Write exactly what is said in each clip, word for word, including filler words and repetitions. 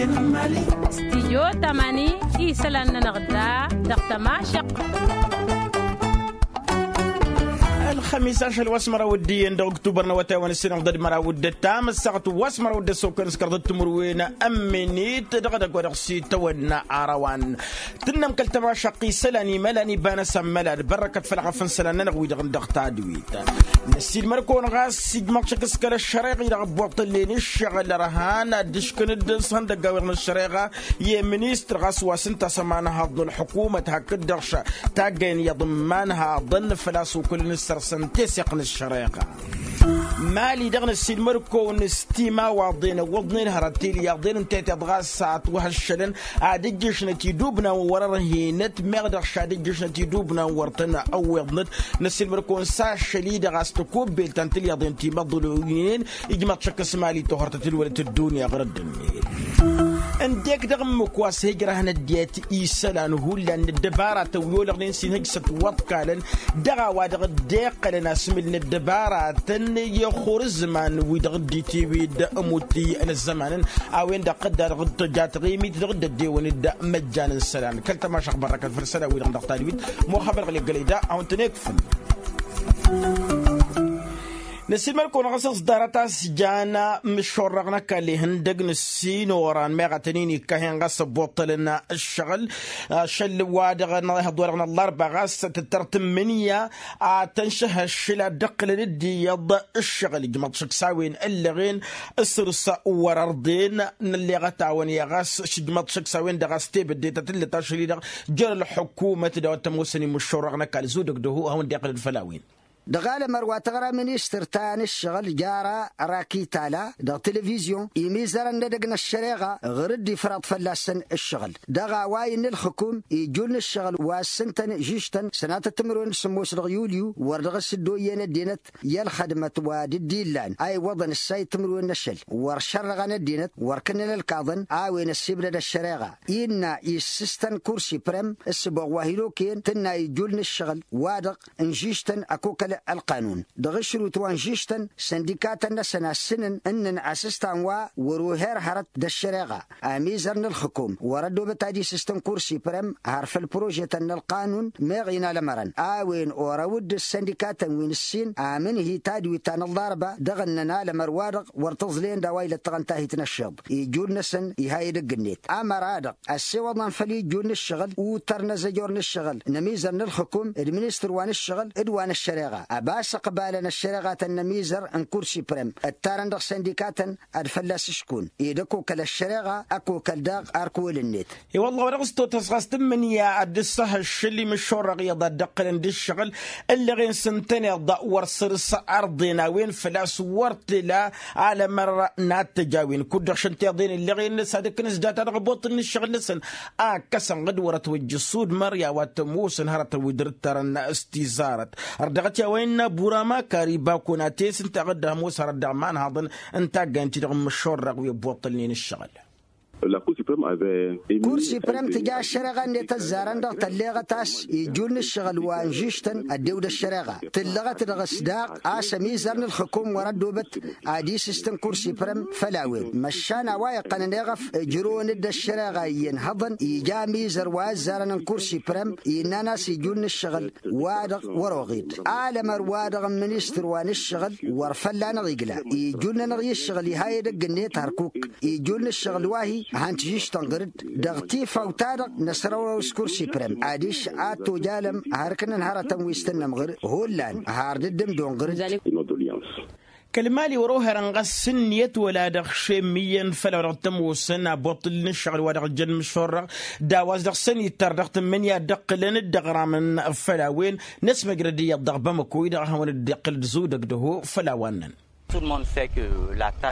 Stijyo tamani isălan-nănăɣ da dăɣ-tămašăq. Ălxămis ašăl wa s-măraw d-iyyăn dăɣ-uktubăr n-awătay wa n-ǝssinăɣ d-ad-măraw d-ăttam ăssaɣăt wa s-măraw d-ăssokăn s-kărdăt timǝrwen ămminit dăɣ-edăgg wa dăɣ-s itawănna arawăn. Tǝnnăm kăl-tămašăq isălan imălan iba n-asămmălad bărrăkăt făll-aɣăf n-isălan-nănăɣ wi-dăɣ n-dăɣ tadwit. Năssiilmăr-kăwăn ɣas ijmăḍ šăk s-kăl-ăššăreɣ-i-dăɣ ăbbuṭṭǝllen iššăɣǝl ărhan ad-dd-ǝškǝn d-ǝnṣăhăn dăgg-awǝyăḍ n-ăššăreɣa i-ministăr ɣas wa s-ǝnta a-s ămanhaḍ n-ălḥukumăt hakd-dăɣ taggăyăn iyyăḍ n-imanhaḍăn făl-a-s okǝlăn s-săr-săn teseɣt n-ăššăreɣa. Mali-dăɣ năssiilmăr-kăwăn s-timawaḍen ăwwăḍnen hărăt tilyaḍen ǝnta i-tiḍ ɣas a ătwăhăššălăn ad-ǝjjǝšnăt idubnawăn wăr-ărhinăt meɣ dăɣ-š ad-ǝjjǝšnăt idubnawăn wăr tăn-ăwweḍnăt. Năssiilmăr-kăwăn s-ašăl-i-dăɣ a-s tăkobbelt ta n-tilyaḍen timăḍluynen ijmăḍ šăkk s-mali tohărtăt ǝlwălăt ăddunya ɣur-ăddǝnnet. Ǝndek dăɣ-ǝmmǝk wa s-hǝjrăhăn ăddinăt isălan hullan n-ăddăbaratăn wi olăɣnen s-inhǝjsăt wăḍkalăn dăɣ-a-wa-dăɣ dd-iqqălăn asmǝl n-ăddăbaratăn i-axur ǝzzǝman-wi-dăɣ dd-itiwǝd ămuttǝy n-ăzzămanăn. A-wen-dăɣ tăjja taɣimit dăɣ-dd-ăddewăn d-măjjan n-isălan kăl-tămašăɣ bărrăkăt făll-isălan-wi-dăɣ dăɣ-tadwit. Muxabăr ɣǝl-iggălăy da a-wen-tăn-ikfǝn. Năsiilmăr-kăwăn ɣas ăẓḍarăt a-s jan mǝššorrăɣ n-ăkall ihăndăg n-ǝssin oran meɣ a tăn-in-ikkahen ɣas ăbbuṭṭălăn ǝššăɣǝl. Ašăl wa dăɣ-năhăḍ wa dăɣ-năllarba ɣas tǝttăr tǝmmǝnǝya a tăn-šăhhăššǝl ad-dd-ǝqqǝlăn dd-iyyăḍ ǝššăɣǝl ijmăḍ šăkk s-a-wen ǝllăɣen. Ǝsrǝs wăr-ărḍen nălleɣăt-awăn i-ɣas šǝjmăḍ šăkk s-a-wen-dăɣ a-s tebădde ta tǝllăt ašăl-i-dăɣ jer-ălḥukumăt d-a-wa t-ămoosăn imǝššorrăɣ n-ăkall zudǝk d-ehăw ad-hawăn-dd-iqqǝlăn făll-a-wen. Dăɣ-alămăr wa tăɣra ministăr ta n-ǝššăɣǝl jara rakitala dăɣ-televizyon imizărăn n-edăgg n-ăššăreɣa ɣur-dd-ifraḍ fălla-săn ǝššăɣǝl dăɣ-a-wa innă ǝlxǝkum ijul n-ǝššăɣǝl wa s-ǝntăn žižtăn sănatăt timǝrwen d-sǝmmos dăɣ-yulyu wăr dăɣ-s dd-oyyen ăddinăt i-ălxădmăt wa dd-illan a iwwăḍăn ǝssay timǝrwen n-ašăl wăr šărrăɣăn ăddinăt wăr kǝnnăn ălkaḍăn a-wen ăssibdăd ăššăreɣa. Innă issǝstăn kur siprem ǝssǝboɣ wa hin-okăyăn tǝnna ijul n-ǝššăɣǝl wa-dăɣ n-žižtăn ăkokăl ălqanun dăɣ-ašrut wa n-žižtăn săndikatăn-năsăn a ǝssǝnăn ǝnnăn asǝstan wa wăr-oher hărăt d-ăššăreɣa. Amizăr n-ǝlxǝkum wăr-ăddoobăt ad-isǝstăn kur siprem har făll-prožetăn n-ălqanun meɣ inalămărăn a-wen orăw-dd ǝssăndikatăn wi n-ǝssin amǝnhǝy tadwit ta n-ălḍarba dăɣ-ǝnnăn alămăr-wa-dăɣ wăr tǝẓleyăn d-a-wa ilăttăɣăn tahit n-ăššiḍ ijul-năsăn iha edăgg-net. Amăra-dăɣ ăssewăḍnen făll-ijul n-ǝššăɣǝl utăr n-azăjor n-ǝššăɣǝl n-amizăr n-ǝlxǝkum d-ministăr wa n-ǝššăɣǝl d-wa n-ăššăreɣa ăbas ǝqbalăn ăššăreɣatăn n-amizăr n-kur siprem ǝttarăn dăɣ-săndikatăn ad-fălla-s ǝškun ed ăkokăl ăššăreɣa ăkokăl daɣ arkăwăl-net. I-wălla wa dăɣ-s totăs ɣas tǝmmǝnǝya ad-dd-ǝssăhăššǝl imǝššorrăɣ iyyăḍ ad-dd-ǝqqǝlăn d-ǝššăɣǝl ǝllăɣen s-ǝntăneḍ wăr săr-s ărḍen a-wen făl-a-s wăr tǝla alămăr n-ad-t-ăj a-wen kud-dăɣ šăn tiḍen ǝllăɣen-năs ad-ǝkkǝn s-data dăɣ-ăboṭṭǝl n-ǝššăɣǝl-năsăn. Akkăsăn ɣǝd wăr-ătwăjj ăssudmăr i-a-wa t-ămoosăn hărătăn wi dd-ǝttărăn s-tizarăt ărdăɣăt i-a-wa innă burama kari bakuna te-s ǝnta ɣǝd-ămoos hărăt dăɣ-imanhaḍăn n-taggayăn-ti-dăɣ n-imǝššorrăɣ wi ăbbuṭṭǝlnen ǝššăɣǝl. Kur siprem tǝja ăššăreɣa-net ăzzarăn-dăɣ tălleɣăt a-s ijul n-ǝššăɣǝl wa n-žižtăn ăddew d-ăššăreɣa tǝllăɣăt dăɣ-s daɣ a-s ămizăr n-ǝlxǝkum wăr-ăddoobăt ad-isǝstăn kur siprem făll-a-wen măšan a-wa iqqănăn eɣăf ǝjrǝwăn-dd ăššăreɣa iyyăn hăḍăn ija amizăr wa ăzzarăn n-kur siprem innăn a-s ijul n-ǝššăɣǝl wa-dăɣ wăr-oɣid alămăr-wa-dăɣ n-ministăr wa n-ǝššăɣǝl wăr fălla-năɣ igla ijul-nănăɣ i-ǝššăɣǝl iha edăgg-net hărkuk ijul n-ǝššăɣǝl wa-hi hăn tižǝžtăn ɣǝr-dd dăɣ-tifawt-ta-dăɣ năsrăwrăw s-kur siprem adiš ad-tojalăm har ǝknăn hărătăn wi s-tǝnnăm ɣǝr-dd hullan har dd-ǝmdon ɣǝr-dd. Kăl-mali wăr-oherăn ɣas ǝnniyăt wăla dăɣ-šem iyyăn făll-a-wa dăɣ-t-ămoosăn abuṭṭǝl n-ǝššăɣǝl wa dăɣ-ǝjjăn imǝššorrăɣ d-a-wa s-dăɣ-săn ittăr dăɣ-tǝmmǝnǝya dd-ǝqqǝlăn dd-ăɣramăn. Făll-a-wen n-asmăjrăd iyyăḍ dăɣ-bamăko-i-dăɣ a hawăn-dd-iqqǝl d-zudăg d-ăho făll-a-wa ǝnnăn.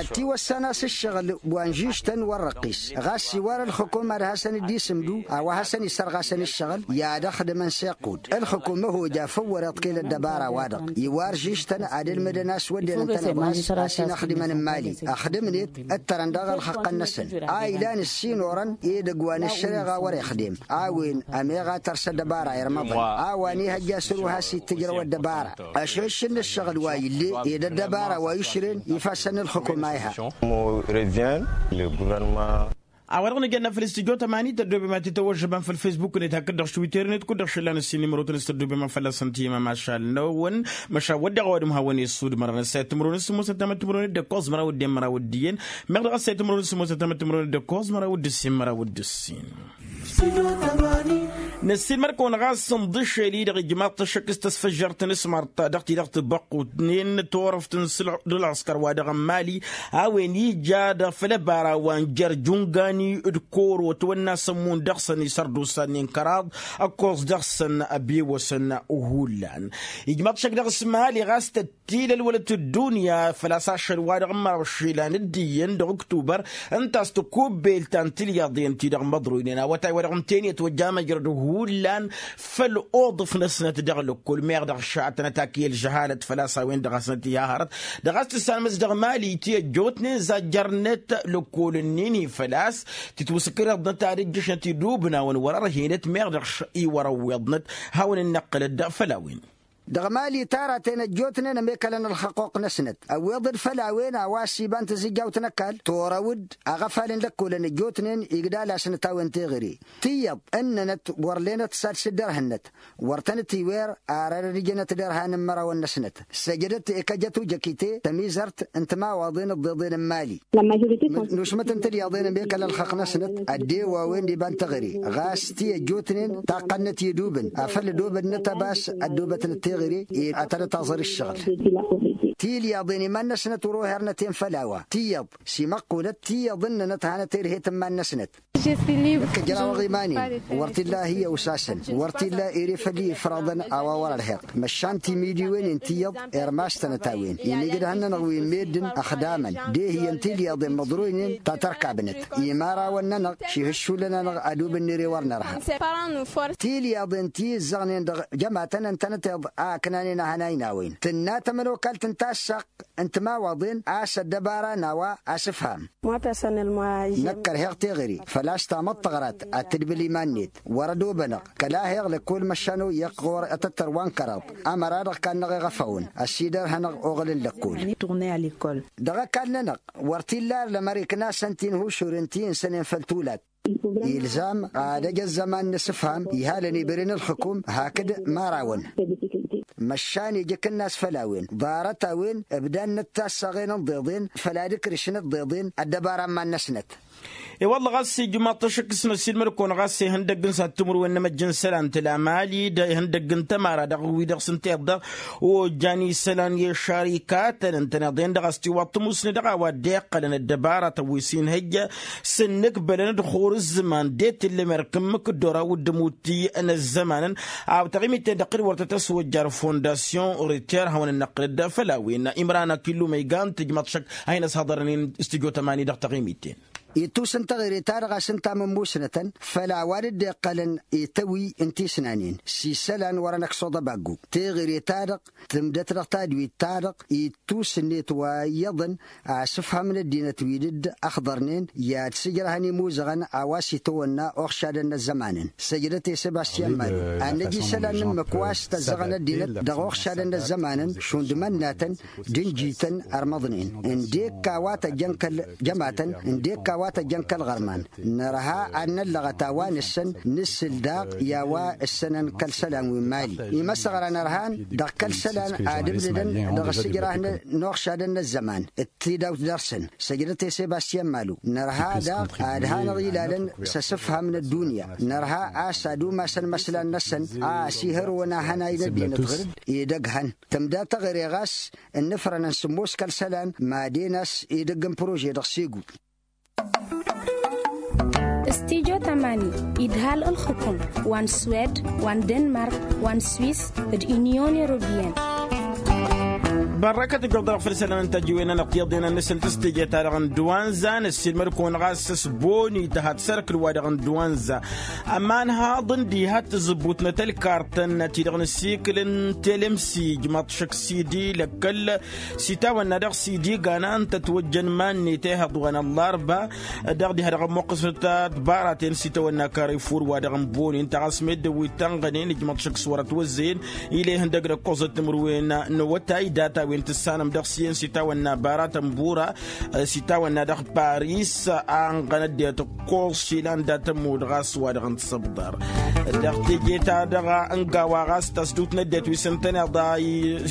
Ătiwăssan a-s ǝššăɣǝl wa n-žižtăn wăr-răqqis ɣas iwar ǝlxǝkum ad-hasăn-dd-isǝmdu a-wa hasăn-isărɣasăn ǝššăɣǝl i-ad-ăxdǝmăn s-iqqud ǝlxǝkum ăhoj a făw wăr-iḍkil ăddăbara-wa-dăɣ iwar žižtăn ad-ǝlmǝdăn a-s wădden ǝntăneḍ ɣas a-s inăxdimăn n-imali ăxdǝmnet ǝttărăn dăɣ-ălxăqqăn-năsăn a ilan ǝssin orăn edăgg wa n-ăššăreɣa wăr-ixdem a-wen ămeɣ a tărs ăddăbara irmăḍăn a-wa n-ihăjja săr-u has-ittǝjrăw ăddăbara ăššăššǝl n-ǝššăɣǝl wa ill'-e ed ăddăbara wa išren ifassăn n-ǝlxǝkum a iha. A-wa-dăɣ nǝjănna făll-istijjo tămani tăddoobem ad-t-tăwăžžăbăm făll-fesbuk-net hakd-dăɣ š-twitter-net kud-dăɣ šăllan ǝssin imrotăn s-tăddoobem a fălla-săn tihimăm ašal-năwăn. Măšan wădden a-wa dăm hawăn-e-ăssudmărăn ăssayăt timǝrwen s-sǝmmosăt tamăt timǝrwen d-ǝkkoẓ măraw d-en măraw d-iyyăn. Meɣ dăɣ-ăssayăt timǝrwen s-sǝmmosăt tamăt timǝrwen d-ǝkkoẓ măraw d-ǝssin măraw d-ǝssin. Năssiilmăd-kăwăn ɣas ǝnḍǝšel-i-dăɣ ijmaḍ-t ăššăk s-tăsfăžžărt n-asmart ta dăɣ-ti-dăɣ tǝbăqqutnen tawrăft n-sǝlɣ d-ălɣăskăr wa dăɣ-n mali a-wen ija dăɣ-făll-ăbara wa n-jer jungani d-koro ătwănna s-ămmun dăɣ-săn isărdusannen kăraḍ ăkkoẓ dăɣ-săn ăbewăsăn. Hullan ijmaḍ-t ăššăk dăɣ-s mali ɣas tăt-tilălwălăt ăddunya făl-a-s ašăl wa dăɣ-n măraw išilan d-iyyăn dăɣ-uktubăr ǝnta a-s tăkubbelt ta n-tilyaḍen-ti-dăɣ măḍroynen awătay wa dăɣ-n teni ătwăjja măjrăd hullan făll-oḍǝf-năsnăt dăɣ-lăkkol meɣ dăɣ-šatnăt ak i-ălžăhalăt făl-a-s a-wen-dăɣ hasnăt iha hărăt dăɣ-a-s tǝssanmǝs dăɣ-mali ti ăjjootnen zajjărnet lăkkol-ǝnnin-i făl-a-s tǝtwǝsǝkrǝḍnăt ad-ǝjjǝšnăt idubnawăn wăr-ărhenăt meɣ dăɣ-š-iwăr-ăwweḍnăt. Hawăn-dd-năqqǝlăd făll-a-wen. Dăɣ-mali taratăn ăjjootnen ămekălăn ălxăqquq-năsnăt ăwweḍ-dd făll-a-wen a-wa s-iba n-tizǝjjawt n-ăkall torăw-dd aɣăfal n-lăkkolăn ăjjootnen igdal-asnăt a-wen teɣăre tiyyăḍ ǝnnănăt wăr lenăt s-ad-sǝddărhǝnnăt wăr tăn-ătiwer. Ar ad-ărijănăt derhan n-imărawăn-năsnăt săjdăt i-kăjăt ujăkite tămizărt n-timawaḍen ǝḍḍeḍen n-mali. Nušmăt n-tilyaḍen ămekăl ălxăqq-năsnăt ăddew a-wen d-iba n-teɣăre ɣas ti ăjjootnen taqqăn-năt idubǝn afăl ădobădnăt ăbas ăddobătnăt teɣăre. Ad-tănătaẓăr ǝššăɣǝl tilyaḍen iman-năsnăt wăr-oherăn ăten făll-a-wa tiyyăḍ s-imăqqunăt tiyyăḍ ǝnnănăt hanăt-erhet n-iman-năsnăt. Ǝjraw-aɣ iman-in wăr t-illa hi-ăwsasăn wăr t-illa ere făll-i ifraḍăn a-wa wăr-ărheɣ măšan timidǝwen-in tiyyăḍ irmastănăt a-wen imijǝdhăn-nănăɣ wi n-meddǝn ăxdamăn d-ehǝyăn tilyaḍen măḍroynen ta tărkabnăt imarawăn-nănăɣ šihǝššulăn-anăɣ adub ǝnnere wăr nărha. Tilyaḍen ti ǝzzăɣnen dăɣ-jămatăn ǝntănăteḍ a ǝknanen ahănay n-a-wen tǝnna tămănokalt n-tassaɣt n-timawaḍen a-s ăddăbara n-a-wa asǝfham. Năkk ărheɣ teɣăre făl-a-s tamăḍt tăɣrat ad-tǝdbǝl iman-net wăr-ădobănăɣ kăla heɣ lăkkol măšan oyyăɣ ɣur-ătăttăr wa n-kăraḍ ămăra dăɣ-kannăɣ iɣăfawăn ăsidărhănăɣ oɣǝl n-lăkkol. Dăɣ-ăkall-nănăɣ wăr t-illa arlămăr iknasăn tinhušuren ti ǝnsănen făll-tulat ilzam ad-ăj ăzzăman n-asǝfham ihalăn ibren ǝlxǝkum hakd marawăn. Măšan ija akǝnnas făll-a-wen ḍarăt-a-wen ǝbdannăt tassaɣen n-ḍeḍen făll-ad-ǝkrǝšnăt ḍeḍen ăddăbara n-iman-năsnăt. I-wălla ɣas ijmaḍ-t ašăk s-năssiilmăd-kăwăn ɣas ihăndăgg n-sad timǝrwen n-emăjj n-isălan tǝla mali d-ihăndăgg n-tămara dăɣ-wi-dăɣ s-ǝnta iḍḍa ojjan isălan i-ăššarikatăn ǝntăneḍ-en-dăɣ a-s tiwaḍ tămusne dăɣ-a-wa dd-iqqălăn ăddăbara tăwwis-in hăjja s-ǝnnǝkbălăn d-xur ǝzzǝman d-e-t ǝllăm erk ǝmmǝk dd-oraw d-ămutti n-ăzzămanăn. A-wa taɣimit-en-dăɣ kăd-wăr tăt-ăswăjjar fondasyon riter hawăn-ănnăqqǝlăd făll-a-wen imran akillu ma iga n-tǝjmăḍ šăkk a hin-ăshăḍărnen s-tijot ămani dăɣ-taɣimit-en. Ittus n-teɣăre-ta-dăɣ a-s ǝnta mămmusnătăn făll-a-wa dd-iqqălăn i-tăwǝy n-tisnanen s-isălan wăren ăksuḍ ăbaggu teɣăre-ta-dăɣ tǝmdăt dăɣ-tadwit-ta-dăɣ ittus-net wa iyyăḍăn asǝfhăm n-ăddinăt wi dd-ăxḍărnen i-ad-sǝjrăhăn imuzăɣăn a-wa s-itawănna uɣšadăn n-ăzzămanăn. Săjdăt i-sebastyan mali ad-năj isălan n-ǝmmǝk wa s-tăzzăɣăn ăddinăt dăɣ-uɣšadăn n-ăzzămanăn šund imănnatăn d-ǝnjităn ărmăḍnen ǝndek a-wa tăjjăn kăl-jămatăn ǝndek a-wa tăjjăn kăl-iɣărman. Nărha ad-năllăɣăt a-wa nǝssăn nǝssǝl daɣ i-a-wa ǝssănăn kăl-isălan wi n-mali imăsăɣra nărhan dăɣ-kăl-isălan ad-ǝbdǝdăn dăɣ-asǝjrah n-uɣšadăn n-ăzzăman d-tidawt dăr-săn. Săjdăt i-sebastyan malu nărha daɣ ad-hanăɣ-ilalăn s-asǝfham n-ăddunya nărha a-s ad-umasăn imăslan-năsăn a ăsihărwăn ahănay n-ăddinăt ɣǝr-dd. Edăgg hăn tǝmda teɣăre ɣas ǝnnǝfrănăn sǝmmos kăl-isălan. Madăn a-s edăgg n-prože dăɣ-segu. Stijo tamani idhal ǝlxǝkum wa n-swed wa n-denmark wa n-swis d-inyon europiyăn. Bărrăkăt ǝjjoḍ dăɣ-făll-isălan n-tajǝwen-anăɣ tiyyăḍen ad-nǝsǝl tǝstije-ta-dăɣ n-duwanza năssiilmăd-kăwăn ɣas s-boni tăhat s-ărkǝl-wa-dăɣ n-duwanza. Ămanhaḍ n-diha t-tǝzǝbbutnăt ălkartăn-ti-dăɣ n-ăsikǝl n-telemsij măḍšăk s-idi lăkkăl s-itawănna dăɣ-s idigan a ǝnta ătwăjjăn iman-net ehăḍ wa n-ăllarba. Dăɣ-diha dăɣ-ămmuqqǝsnăt ăddăbaraten s-itawănna karifur wa dăɣ-n boni ǝnta ɣas meddǝn wi ǝttănɣănen ijmăḍ šăkk s-wăr-ătwăzzăyăn. Ila ihăndăg d-ăkkoẓăt timǝrwen n-awătay data. wi n-tǝssanăm dăɣ-s iyyăn s-itawănna baratăn bura, s-itawănna dăɣ-paris a ănɣăn ăddinăt ǝkkoẓ išilan dat-ămmud ɣas wa dăɣ-n t-săbḍar. Dăɣ-teje-ta-dăɣ n-gawa ɣas tasdut n-ăddinăt wi s-ǝntăneḍ a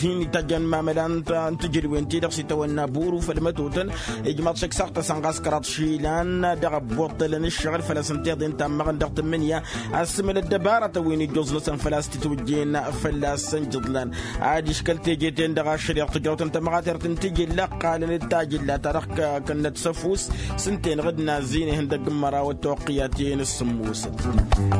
hin-itajjăn mamăla n-tǝjǝdwen-ti-dăɣ s-itawănna buru făll-mătotăn. Ijmaḍ šăksaɣ-tăsăn ɣas kăraḍ išilan dăɣ-ăbbuṭṭălăn ǝššăɣǝl făl-a-s ǝnta iḍen tammăɣăn dăɣ-tǝmmǝnǝya. Asǝmǝl ăddăbarătăn wi n-ijjuẓ-năsăn făl-a-s t-itwǝjjen fălla-săn jǝḍlan. Adiš kăl-teje-ten-dăɣ ašăl i-dăɣ tǝjrăwtăn tămɣatert n-tijǝlla ǝqqalăn d-tajǝlla ta dăɣ-kănnăt s-ăfuss s-ǝnta-enăɣ d-nazin ihăndăgg n-mărawăt toqqǝyat-en s-sǝmmosăt.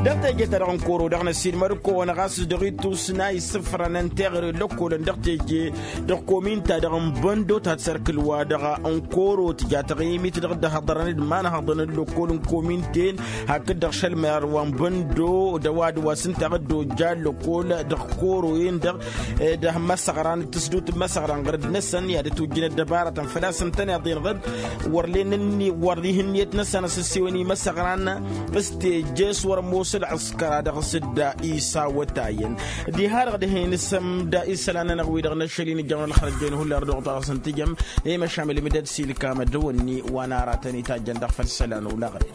Dăɣ-teje-ta-dăɣ n-koro dăɣ-năsiilmăr-kăwăn ɣas dăɣ-itusna isǝfrănăn teɣăre n-lăkkolăn dăɣ-teje dăɣ-komin-ta-dăɣ n-băndo ta d-sărkǝl-wa-dăɣ n-koro tǝja taɣimit dăɣ-dd-hăḍărăn d-imanhăḍăn n-lăkkol n-komin-ten. Hakd-dăɣ šălmăyăr wa n-băndo d-ăwadǝm wa s-ǝnta a dd-ojja ăllăkkol dăɣ-koroyen-dăɣ d-măsăɣran d-tǝsdut n-imăsăɣran ɣărăd-năsăn i-ad-ătwǝjjǝn ăddăbarătăn făl-a-s ǝntăneḍ-en ɣǝd. Wăr len ǝnni wăr ihǝnniyăt-năsăn a-s ǝssewăn imăsăɣran s-teje s-wăr-ămoos ălɣǝskăra dăɣ-s dd-isawătayăn. Diha-dăɣ dihen isǝm d-isălan-nănăɣ-wi-dăɣ n-ašăl-in ǝjjămăn ălxărăt jen hullan dăɣ-ɣuṭa dăɣ-săn tǝjăm. I-măšamăl imǝdăd s-ilkam ad-dăwănni wa n-aratăn itajjăn dăɣ-făll-isălan olaɣăt.